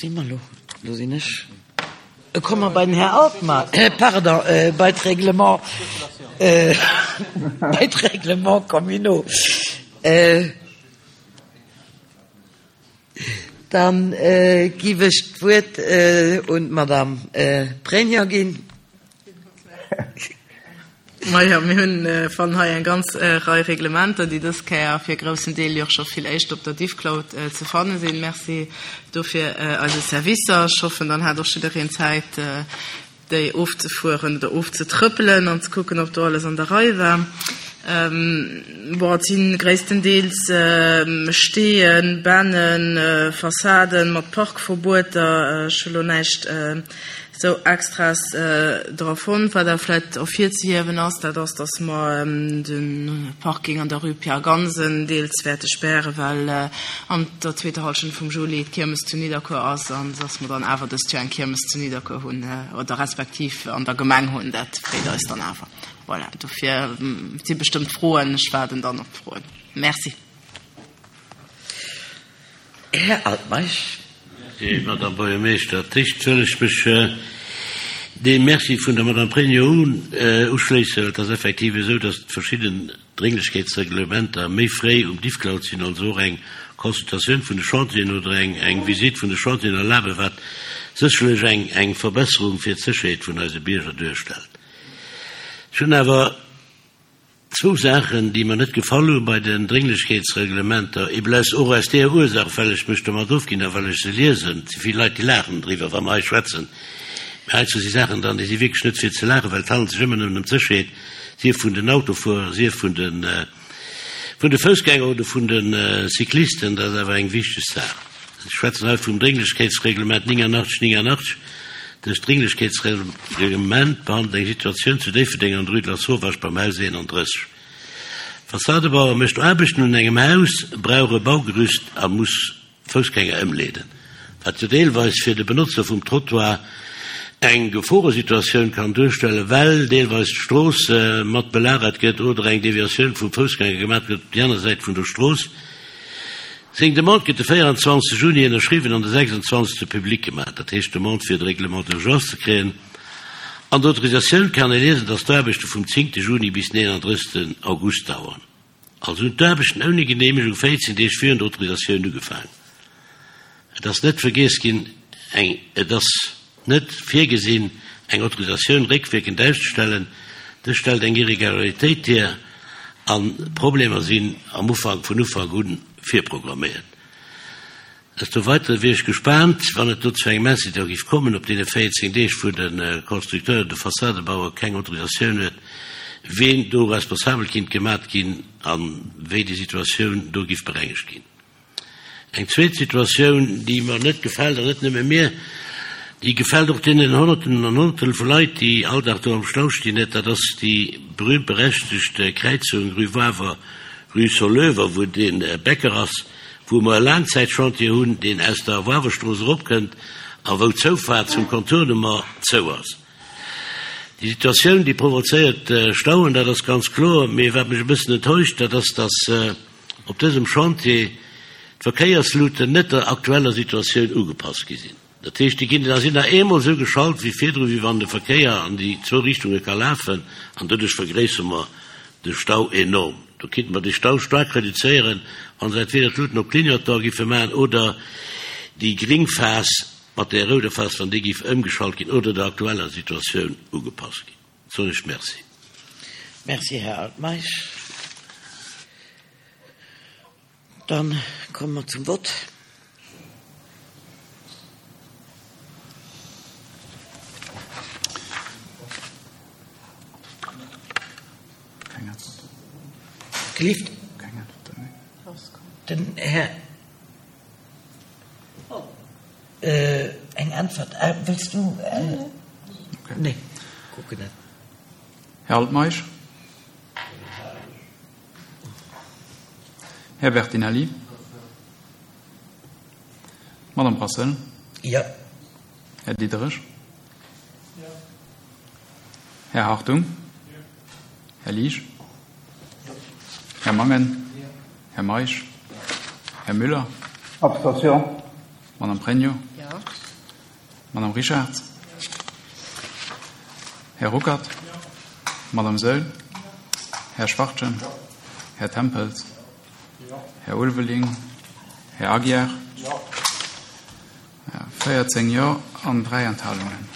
si mer elo? Elo sinn ech. Komme mer bei den Här Altmeisch, pardon, bei d'Règlement, bei d'Règlements communaux. Dann giff ech d'Wuert un d'Madame Pregno ginn. Majo, mir hunn fannen hei eng ganz Rei Reglementer, déi dës Kéier fir e groussen Deel jo och scho vill éischter op der Diffcloud ze fanne sinn. Merci dofir eise Servicer. Ech hoffen, dann hat och jiddereen Zäit, déi ofzefueren oder ofzetrëppelen an ze kucken, ob do alles an der Rei war. Bon, et si gréisstendeels Steeën, Bännen, Fassaden mat Parkverbueter. Ech hu lo näischt Sou Extras dra fonnt. Wat awer vläit ervirzehiewen ass, dat ass, dass mer de Parking an der Rue Pierre Gansen deels wäerte spären, well an der zweeter Hallschent vum Juli d'Kiermes zu Nidderkuer ass an dass mer dann awer dëst Joer eng Kiermes zu Nidderkuer hunn oder respektiv an der Gemeng hunn. Dat freet eis dann awer. Voilà, dofir si bestëmmt Froen. Ech waarden dann op d'Froen. Merci. Här Altmeisch. Merci, Madame Buergermeeschter. D'éischt wëll ech mech deem Merci vun der Madame Pregno uschléissen. Et ass effektiv esou, dass verschidden Drénglechkeetsreglementer méi fréi um Diffcloud sinn, also och eng Consultatioun vun de Chantieren oder eng Visitt vun de Chantieren erlaben, wat sécherlech eng Verbesserung fir d'Sécherheet vun eise Bierger duerstellt. Ech hunn awer Zwou Saachen, déi mer net gefall hu bei den Drénglechkeetsreglementer, eebel aus, och aus deeër Ursaach, well ech mech domat ofginn a well ech se liesen. Et si vill Leit, déi laachen driwwer, wa mer hei schwätzen. Mä heizou si Saachen dran, déi si wierklech net fir ze laachen, well et handelt sech ëmmer nëmmen ëm d'Sécherheet, sief vun den Autofuerer, sief vun de, vun de Foussgänger oder vun de Cyclisten. Dat ass awer eng wichteg Saach. Ech schwätzen hei vum Drénglechkeetsreglement 89 89. Dëst Drénglechkeetsreglement behandelt eng Situatioun zu Déifferdeng an der Rue de la Sauvage beim Haus 31. Fassadebauer mécht Aarbechten un engem Haus, brauch e Baugerüst a muss Foussgänger ëmleeden, wat jo deelweis fir de Benotzer vum Trottoir eng Geforesituatioun kann duerstellen, well deelweis d'Strooss mat belagert gëtt oder eng Deviatioun vum Foussgänger gemaach gëtt op déi aner Säit vun der Strooss. Seng Demande gëtt de 24 Juni ënnerschriwwen an de 26 public gemaach, dat heescht d'Demande fir de Règlement d'urgence ze kréien. An der Autorisatioun kann ee liesen, datt d'Aarbechte vum 10 Juni bis 39 August daueren. Also hunn d'Aarbechten ouni Geneemegung 14 Deeg virun der Autorisatioun ugefaangen. Et ass net vergiess ginn, eng Et ass net virgesinn, eng Autorisatioun réckwierkend auszestellen. Dës stellt eng Irregularitéit hier an d'Problemer sinn am Ufank vun Ufank u virprogramméiert. Desto weitere wier ech gespaant, wann et do zu engem Incident géif kommen op deene 14 Deeg, wou de Constructeur, de Fassadebauer keng Autorisatioun huet, ween do responsabel kinnt gemat ginn a wéi déi Situatioun do giff berengegt ginn. Eng zweet Situatioun, déi mer net gefält, an net nëmme mir, déi gefält och deenen Honnerten an Honnerten vu Leit, déi all Dag do am Stau stinn, net, dat ass déi berühmt-berechtigt Kräizung Rue Wawer, Rue Soleuvre, wou dee Bäcker ass, wou mer e Laangzäitchantier hunn, deen aus der Wawerstrooss eropkënnt a wou d'Zoufaart zum Contournement zou ass. Déi Situatioun, déi provozéiert Stauen, dat ass ganz kloer. Mee wat mech e bëssen enttäuscht, dat ass, dass, op dësem Chantier d'Verkéiersluten net der aktueller Situatioun ugepasst gi sinn. Dat heescht, déi ginn da sinn nach eemol esou geschalt wéi virdru, wéi wann de Verkéier an déi zwou Richtunge ka lafen, an doduerch vergréissere mer de Stau enorm. Do kinnte mer de Stau staark reduzéieren, wa se entweder d'Luten op Clignotant giffe maachen oder déi gréng Phas mat där rouder Phas, wann déi giff ëmgeschalt ginn oder der aktueller Situatioun ugepasst ginn. Soen ech Merci. Merci, Här Altmeisch. Dann komme mer zum Vott. Gelift? Den Här. Eng Äntwert? Wëlls du? Nee, kucken net. Här Altmeisch. Här Bertinelli. Madame Brassel. Jo. Här Diderich. Jo. Här Hartung. Jo. Här Liesch. Jo. Här Mangen. Jo. Här Meisch. Här Müller. Abstention. Madame Pregno. Jo. Madame Richartz? Här Ruckert? Madame Saeul? Här Schwachtgen? Här Tempels? Här Ulveling? Här Aguiar? 14 Jo an 3 Enthalungen.